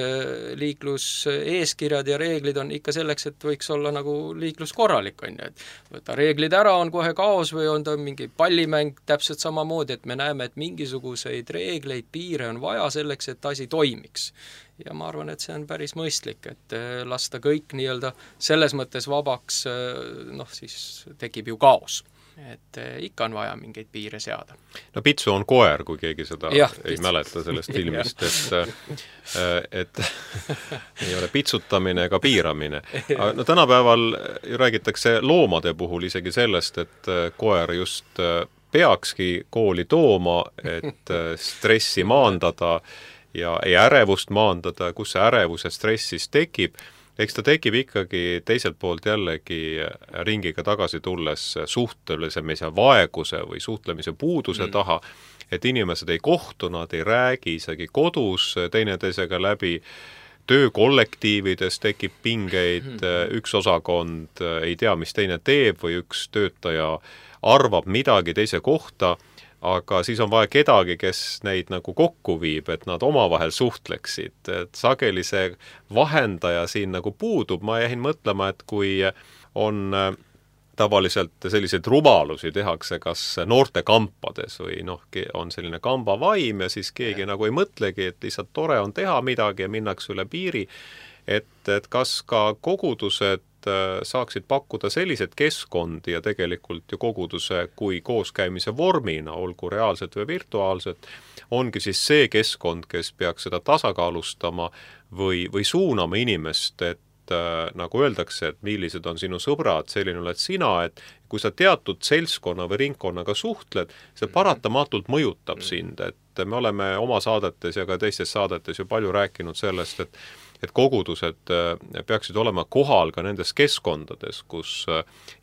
liikluseeskirjad ja reeglid on ikka selleks, et võiks olla nagu liiklus korralik, on ju, et võta reeglid ära, on kohe kaos või on ta mingi pallimäng täpselt samamoodi, et me näeme, et mingisuguseid reegleid, piire on vaja selleks, et asi toimiks. Ja ma arvan, et see on päris mõistlik, et lasta kõik nii-öelda selles mõttes vabaks, noh siis tekib ju kaos. Et ikka on vaja mingeid piire seada. No pitsu on koer, kui keegi seda ei mäleta sellest filmist, et ei ole pitsutamine ega piiramine. No tänapäeval ju räägitakse loomade puhul isegi sellest, et koer just peakski kooli tooma, et stressi maandada ja ärevust maandada, kus see ärevus ja stresss siis tekib. Eks ta tekib ikkagi teiselt poolt jällegi ringiga tagasi tulles suhtlemise vaeguse või suhtlemise puuduse taha, et inimesed ei kohtu, nad ei räägi isegi kodus teineteisega läbi, töökollektiivides tekib pingeid, üks osakond ei tea, mis teine teeb või üks töötaja arvab midagi teise kohta, aga siis on vaja kedagi, kes neid nagu kokku viib, et nad omavahel suhtleksid. Et sageli see vahendaja siin nagu puudub. Ma jäin mõtlema, et kui on tavaliselt selliseid rumalusi tehakse kas noorte kampades või noh, on selline kambavaim ja siis keegi nagu ei mõtlegi, et lihtsalt tore on teha midagi ja minnakse üle piiri, et kas ka kogudused saaksid pakkuda sellised keskkondi ja tegelikult ju koguduse kui kooskäimise vormina, olgu reaalselt või virtuaalselt, ongi siis see keskkond, kes peaks seda tasakaalustama või suunama inimest, et nagu öeldakse, et millised on sinu sõbrad, selline oled sina, et kui sa teatud seltskonna või ringkonnaga suhtled, see paratamatult mõjutab sind, et me oleme oma saadetes ja ka teistes saadetes ju palju rääkinud sellest, et kogudused peaksid olema kohal ka nendes keskkondades, kus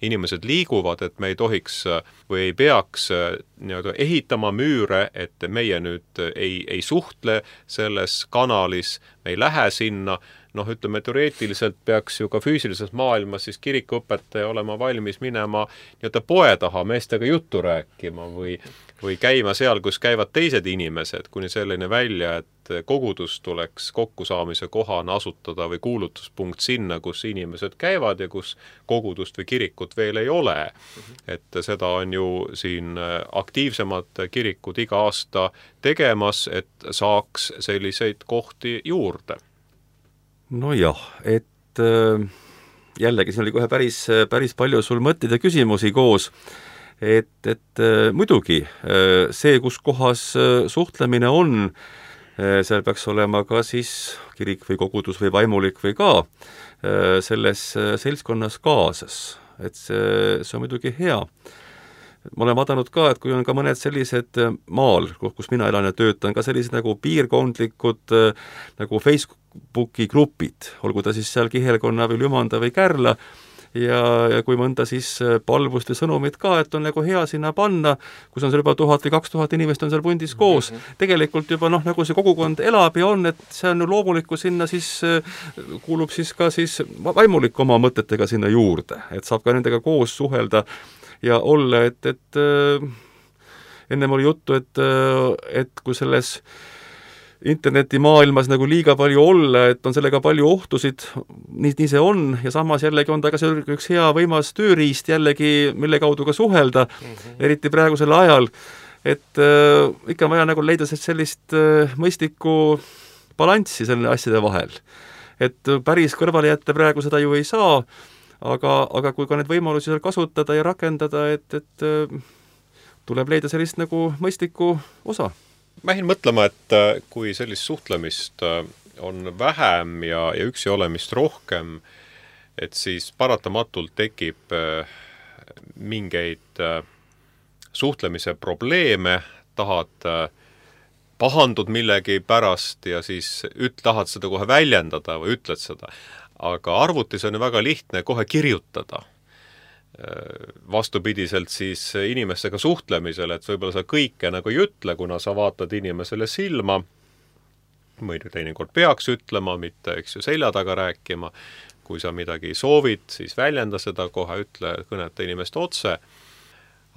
inimesed liiguvad, et me ei tohiks või ei peaks nii-öelda ehitama müüre, et meie nüüd ei suhtle selles kanalis, me ei lähe sinna, noh, ütleme, teoreetiliselt peaks ju ka füüsilises maailmas siis kirikuõpetaja olema valmis minema nii-öelda poe taha meestega juttu rääkima või käima seal, kus käivad teised inimesed, kuni selline välja, et kogudus tuleks kokkusaamise kohana asutada või kuulutuspunkt sinna, kus inimesed käivad ja kus kogudust või kirikut veel ei ole. Et seda on ju siin aktiivsemad kirikud iga aasta tegemas, et saaks selliseid kohti juurde. Nojah, et jällegi siin oli kohe päris palju sul mõtteid ja küsimusi koos, et muidugi see, kus kohas suhtlemine on, seal peaks olema ka siis kirik või kogudus või vaimulik või ka selles seltskonnas kaasas, et see on muidugi hea. Ma olen vaadanud ka, et kui on ka mõned sellised maal, kus mina elan ja töötan, ka sellised nagu piirkondlikud nagu Facebooki grupid, olgu ta siis seal Kihelkonna või Lümanda või Kärla, ja kui mõnda siis palvust või sõnumit ka, et on nagu hea sinna panna, kus on seal juba 1000 või 2000 inimest on seal pundis koos, tegelikult juba noh, nagu see kogukond elab ja on, et see on ju loomulikku sinna siis, kuulub siis ka siis vaimulik oma mõtetega sinna juurde, et saab ka nendega koos suhelda ja olla, et ennem oli juttu, et kui selles internetimaailmas nagu liiga palju olla, et on sellega palju ohtusid, nii see on, ja samas jällegi on ta ka see üks hea võimas tööriist jällegi, mille kaudu ka suhelda, eriti praegusel ajal, et ikka on vaja nagu leida sellist mõistlikku balanssi selle asjade vahel. Et päris kõrvale jätta praegu seda ju ei saa, aga kui ka need võimalusi seal kasutada ja rakendada, et tuleb leida sellist nagu mõistlikku osa. Ma jäin mõtlema, et kui sellist suhtlemist on vähem ja üksi olemist rohkem, et siis paratamatult tekib mingeid suhtlemise probleeme, tahad pahandud millegi pärast ja siis tahad seda kohe väljendada või ütled seda. Aga arvutis on ju väga lihtne kohe kirjutada. Vastupidiselt siis inimestega suhtlemisele, et võib-olla sa kõike nagu ei ütle, kuna sa vaatad inimesele silma, mõni teinekord peaks ütlema, mitte eks ju selja taga rääkima. Kui sa midagi soovid, siis väljenda seda kohe, ütle, kõneta inimest otse.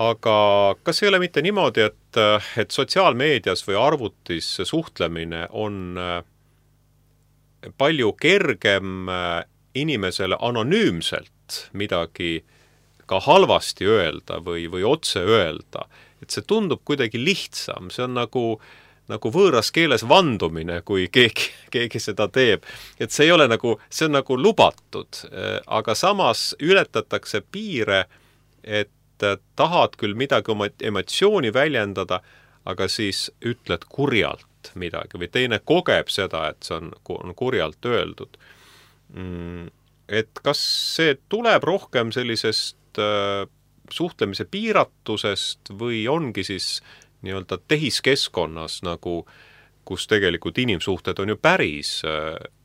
Aga kas ei ole mitte niimoodi, et sotsiaalmeedias või arvutis suhtlemine on palju kergem inimesele anonüümselt midagi ka halvasti öelda või otse öelda, et see tundub kuidagi lihtsam, see on nagu võõras keeles vandumine, kui keegi seda teeb, et see ei ole see on nagu lubatud, aga samas ületatakse piire, et tahad küll midagi oma emotsiooni väljendada, aga siis ütled kurjalt midagi või teine kogeb seda, et see on kurjalt öeldud. Et kas see tuleb rohkem sellisest suhtlemise piiratusest või ongi siis nii-öelda tehiskeskkonnas, kus tegelikult inimsuhted on ju päris,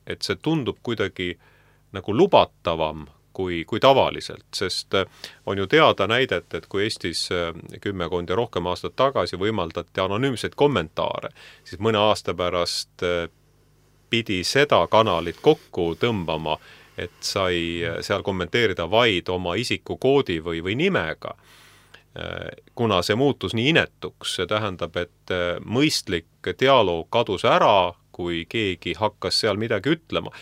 et see tundub kuidagi nagu lubatavam kui tavaliselt, sest on ju teada näidet, et kui Eestis 10 ja rohkem aastat tagasi võimaldati anonüümseid kommentaare, siis mõne aasta pärast pidi seda kanalit kokku tõmbama, et sai seal kommenteerida vaid oma isikukoodi või nimega. Kuna see muutus nii inetuks, see tähendab, et mõistlik dialoog kadus ära, kui keegi hakkas seal midagi ütlema.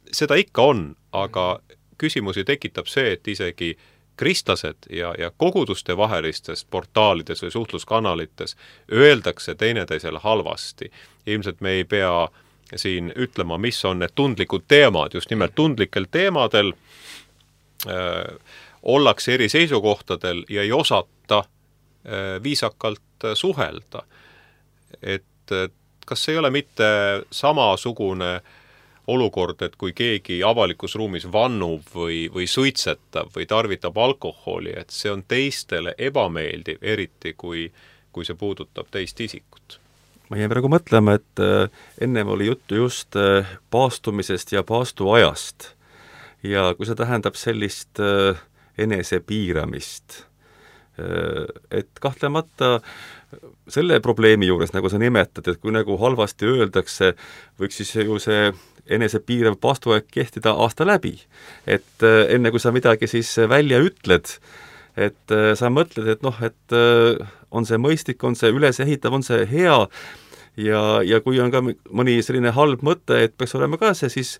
Seda ikka on, aga küsimusi tekitab see, et isegi kristlased ja koguduste vahelistes portaalides või suhtluskanalites öeldakse teineteisele halvasti. Ilmselt me ei pea siin ütlema, mis on need tundlikud teemad, just nimelt tundlikel teemadel ollakse eri seisukohtadel ja ei osata viisakalt suhelda. Et kas ei ole mitte samasugune olukord, et kui keegi avalikus ruumis vannub või suitsetab või tarvitab alkoholi, et see on teistele ebameeldiv, eriti kui see puudutab teist isikut? Ma jäin praegu mõtlema, et ennem oli juttu just paastumisest ja paastuajast. Ja kui see tähendab sellist enesepiiramist, et kahtlemata selle probleemi juures, nagu sa nimetad, et kui nagu halvasti öeldakse, võiks siis ju see enesepiirav paastuaeg kehtida aasta läbi. Et enne kui sa midagi siis välja ütled, et sa mõtled, et on see mõistlik, on see ülesehitav, on see hea ja kui on ka mõni selline halb mõte, et peaks olema ka see siis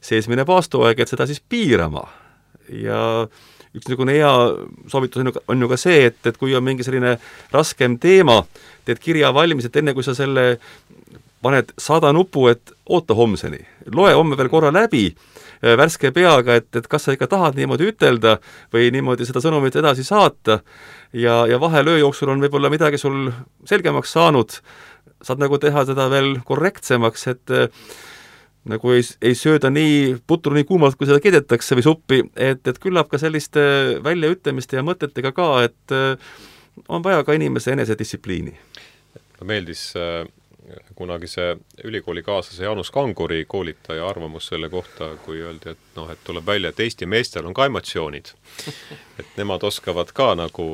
seesmine paastuaeg, et seda siis piirama. Ja üks niisugune hea soovitus on ju ka see, et kui on mingi selline raskem teema, teed kirja valmis, et enne kui sa selle paned 100 nupu, et oota homseni. Loe homme veel korra läbi värske peaga, et kas sa ikka tahad niimoodi ütelda või niimoodi seda sõnumit edasi saata ja vahel öö jooksul on võib-olla midagi sul selgemaks saanud, saad nagu teha seda veel korrektsemaks, et nagu ei sööda nii putru nii kuumalt, kui seda keedetakse või suppi, et küllap ka selliste väljaütlemiste ja mõtetega ka, et on vaja ka inimese enesedistsipliini. Meeldis kunagi see ülikoolikaaslase Jaanus Kanguri koolitaja arvamus selle kohta, kui öeldi, et tuleb välja, et Eesti meestel on ka emotsioonid. Et nemad oskavad ka nagu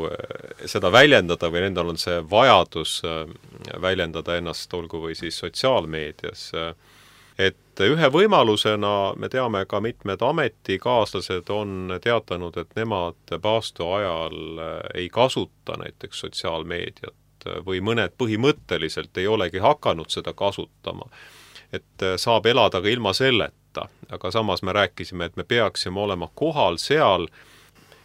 seda väljendada või nendel on see vajadus väljendada ennast, olgu või siis sotsiaalmeedias. Et ühe võimalusena me teame ka mitmed ametikaaslased on teatanud, et nemad paastu ajal ei kasuta näiteks sotsiaalmeediat või mõned põhimõtteliselt ei olegi hakanud seda kasutama. Et saab elada ka ilma selleta, aga samas me rääkisime, et me peaksime olema kohal seal,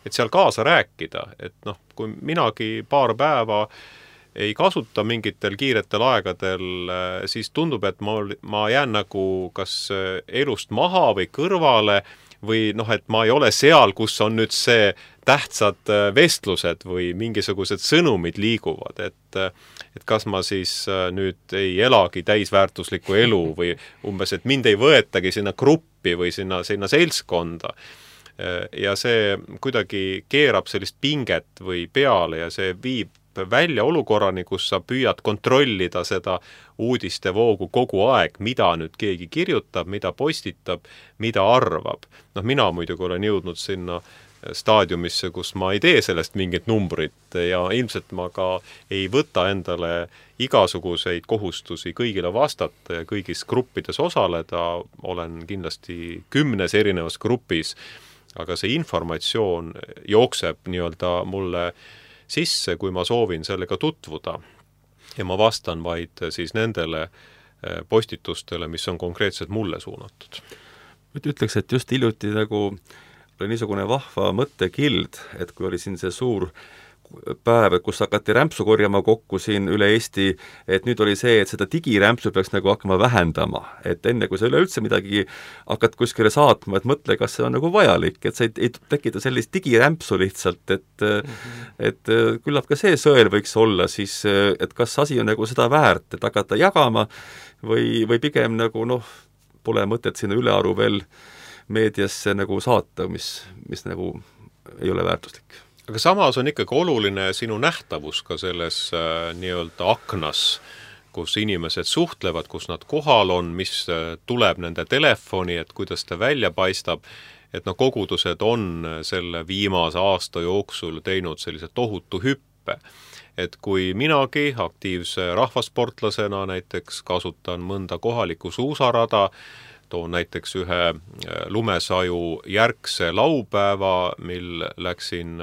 et seal kaasa rääkida, et kui minagi paar päeva ei kasuta mingitel kiiretel aegadel, siis tundub, et ma jään nagu kas elust maha või kõrvale või et ma ei ole seal, kus on nüüd see tähtsad vestlused või mingisugused sõnumid liiguvad, et kas ma siis nüüd ei elagi täisväärtuslikku elu või umbes, et mind ei võetagi sinna gruppi või sinna seltskonda. Ja see kuidagi keerab sellist pinget või peale ja see viib välja olukorrani, kus sa püüad kontrollida seda uudistevoogu kogu aeg, mida nüüd keegi kirjutab, mida postitab, mida arvab. Mina muidugi olen jõudnud sinna staadiumisse, kus ma ei tee sellest mingit numbrit ja ilmselt ma ka ei võta endale igasuguseid kohustusi kõigile vastata ja kõigis gruppides osaleda, olen kindlasti 10 erinevas grupis, aga see informatsioon jookseb nii-öelda mulle sisse, kui ma soovin sellega tutvuda. Ja ma vastan vaid siis nendele postitustele, mis on konkreetselt mulle suunatud. Ütleks, et just hiljuti nagu oli niisugune vahva mõttekild, et kui oli siin see suur päev, kus hakati rämpsu korjama kokku siin üle Eesti, et nüüd oli see, et seda digirämpsu peaks nagu hakkama vähendama. Et enne, kui sa üleüldse midagi hakkad kuskile saatma, et mõtle, kas see on nagu vajalik, et sa ei tekita sellist digirämpsu lihtsalt, et küllap ka see sõel võiks olla siis, et kas asi on nagu seda väärt, et hakata jagama või pigem nagu pole mõtet sinna ülearu veel meediasse nagu saata, mis nagu ei ole väärtuslik. Aga samas on ikkagi oluline sinu nähtavus ka selles nii-öelda aknas, kus inimesed suhtlevad, kus nad kohal on, mis tuleb nende telefoni, et kuidas ta välja paistab, et kogudused on selle viimase aasta jooksul teinud sellise tohutu hüppe. Et kui minagi aktiivse rahvasportlasena näiteks kasutan mõnda kohalikku suusarada, toon näiteks ühe lumesaju järgse laupäeva, mil läksin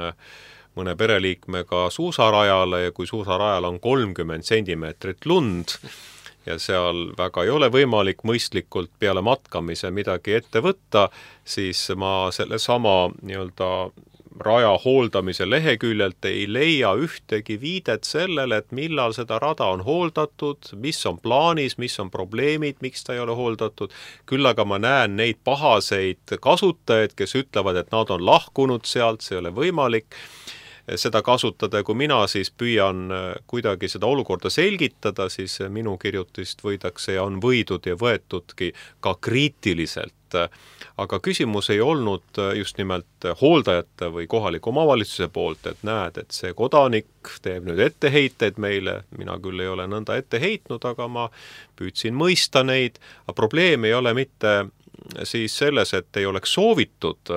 mõne pereliikmega suusarajale ja kui suusarajal on 30 sentimeetrit lund ja seal väga ei ole võimalik mõistlikult peale matkamise midagi ette võtta, siis ma selle sama nii-öelda raja hooldamise leheküljelt ei leia ühtegi viidet sellele, et millal seda rada on hooldatud, mis on plaanis, mis on probleemid, miks ta ei ole hooldatud. Küll aga ma näen neid pahaseid kasutajaid, kes ütlevad, et nad on lahkunud sealt, see ei ole võimalik seda kasutada, kui mina siis püüan kuidagi seda olukorda selgitada, siis minu kirjutist võidakse ja on võidud ja võetudki ka kriitiliselt. Aga küsimus ei olnud just nimelt hooldajate või kohaliku omavalitsuse poolt, et näed, et see kodanik teeb nüüd etteheiteid meile, mina küll ei ole nõnda ette heitnud, aga ma püüdsin mõista neid, aga probleem ei ole mitte siis selles, et ei oleks soovitud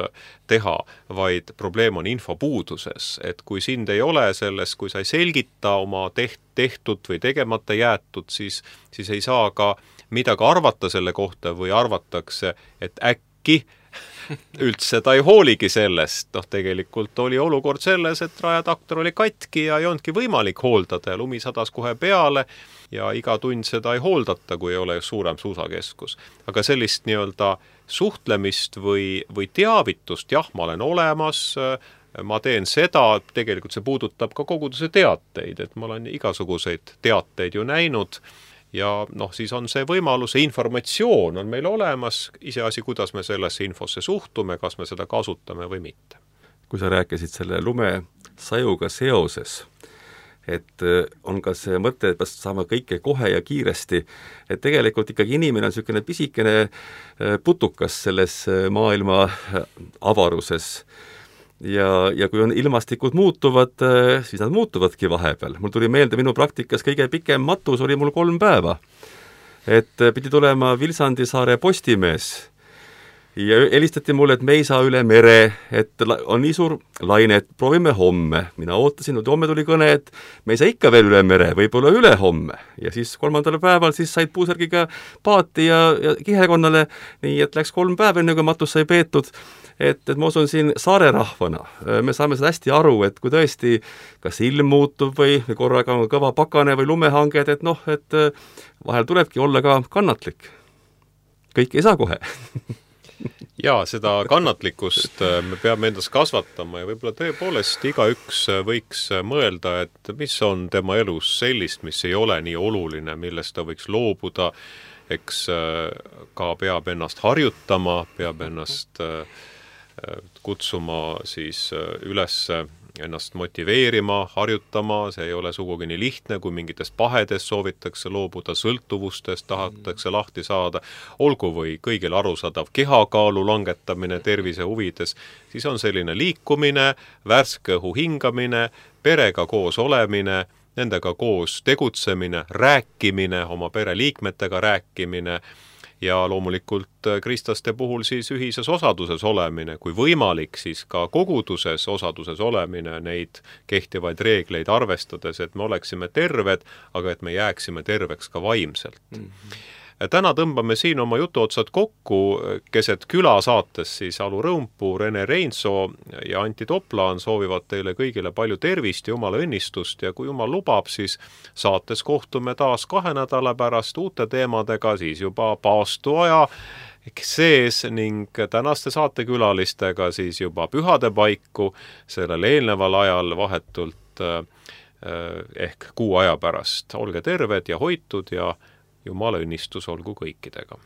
teha, vaid probleem on infopuuduses, et kui sind ei ole selles, kui sa ei selgita oma tehtud või tegemata jäetud, siis ei saa ka midagi arvata selle kohta või arvatakse, et äkki üldse ta ei hooligi sellest. Tegelikult oli olukord selles, et rajatraktor oli katki ja ei olnudki võimalik hooldada ja lumi sadas kohe peale ja iga tund seda ei hooldata, kui ei ole suurem suusakeskus. Aga sellist nii-öelda suhtlemist või teavitust, jah, ma olen olemas, ma teen seda, tegelikult see puudutab ka koguduse teateid, et ma olen igasuguseid teateid ju näinud ja siis on see võimalus, see informatsioon on meil olemas, iseasi, kuidas me sellesse infosse suhtume, kas me seda kasutame või mitte. Kui sa rääkisid selle lumesajuga seoses, et on ka see mõte, et saame kõike kohe ja kiiresti, et tegelikult ikkagi inimene on niisugune pisikene putukas selles maailma avaruses ja kui on ilmastikud muutuvad, siis nad muutuvadki vahepeal. Mul tuli meelde, minu praktikas kõige pikem matus oli mul 3 päeva. Et pidi tulema Vilsandisaare Postimees ja helistati mulle, et me ei saa üle mere, et on nii suur laine, et proovime homme. Mina ootasin, et homme tuli kõne, et me ei saa ikka veel üle mere, võib-olla üle homme. Ja siis 3. päeval siis said puusärgiga paati ja kihekonnale, nii et läks 3 päeva enne, kui matus sai peetud. Et ma usun siin saare rahvana, me saame seda hästi aru, et kui tõesti kas ilm muutub või korraga on kõva pakane või lumehanged, et vahel tulebki olla ka kannatlik. Kõik ei saa kohe. Jaa, seda kannatlikkust me peame endas kasvatama ja võib-olla tõepoolest igaüks võiks mõelda, et mis on tema elus sellist, mis ei ole nii oluline, millest ta võiks loobuda, eks ka peab ennast harjutama, peab ennast kutsuma siis üles ennast motiveerima, harjutama, see ei ole sugugi nii lihtne, kui mingitest pahedest soovitakse loobuda, sõltuvustest tahetakse lahti saada, olgu või kõigil arusaadav kehakaalu langetamine tervise huvides, siis on selline liikumine, värske õhu hingamine, perega koos olemine, nendega koos tegutsemine, rääkimine, oma pereliikmetega rääkimine ja loomulikult kristlaste puhul siis ühises osaduses olemine, kui võimalik, siis ka koguduses osaduses olemine, neid kehtivaid reegleid arvestades, et me oleksime terved, aga et me jääksime terveks ka vaimselt. Täna tõmbame siin oma jutuotsad kokku, keset küla saates siis Alu Rõumpuu, Rene Reinsoo ja Anti Toplaan soovivad teile kõigile palju tervist ja jumala õnnistust ja kui jumal lubab, siis saates kohtume taas 2 nädala pärast uute teemadega, siis juba paastuaja sees ning tänaste saatekülalistega siis juba pühade paiku sellel eelneval ajal vahetult ehk kuu aja pärast. Olge terved ja hoitud ja jumala õnnistus olgu kõikidega.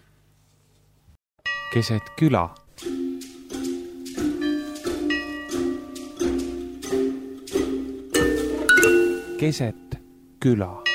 Keset küla. Keset küla.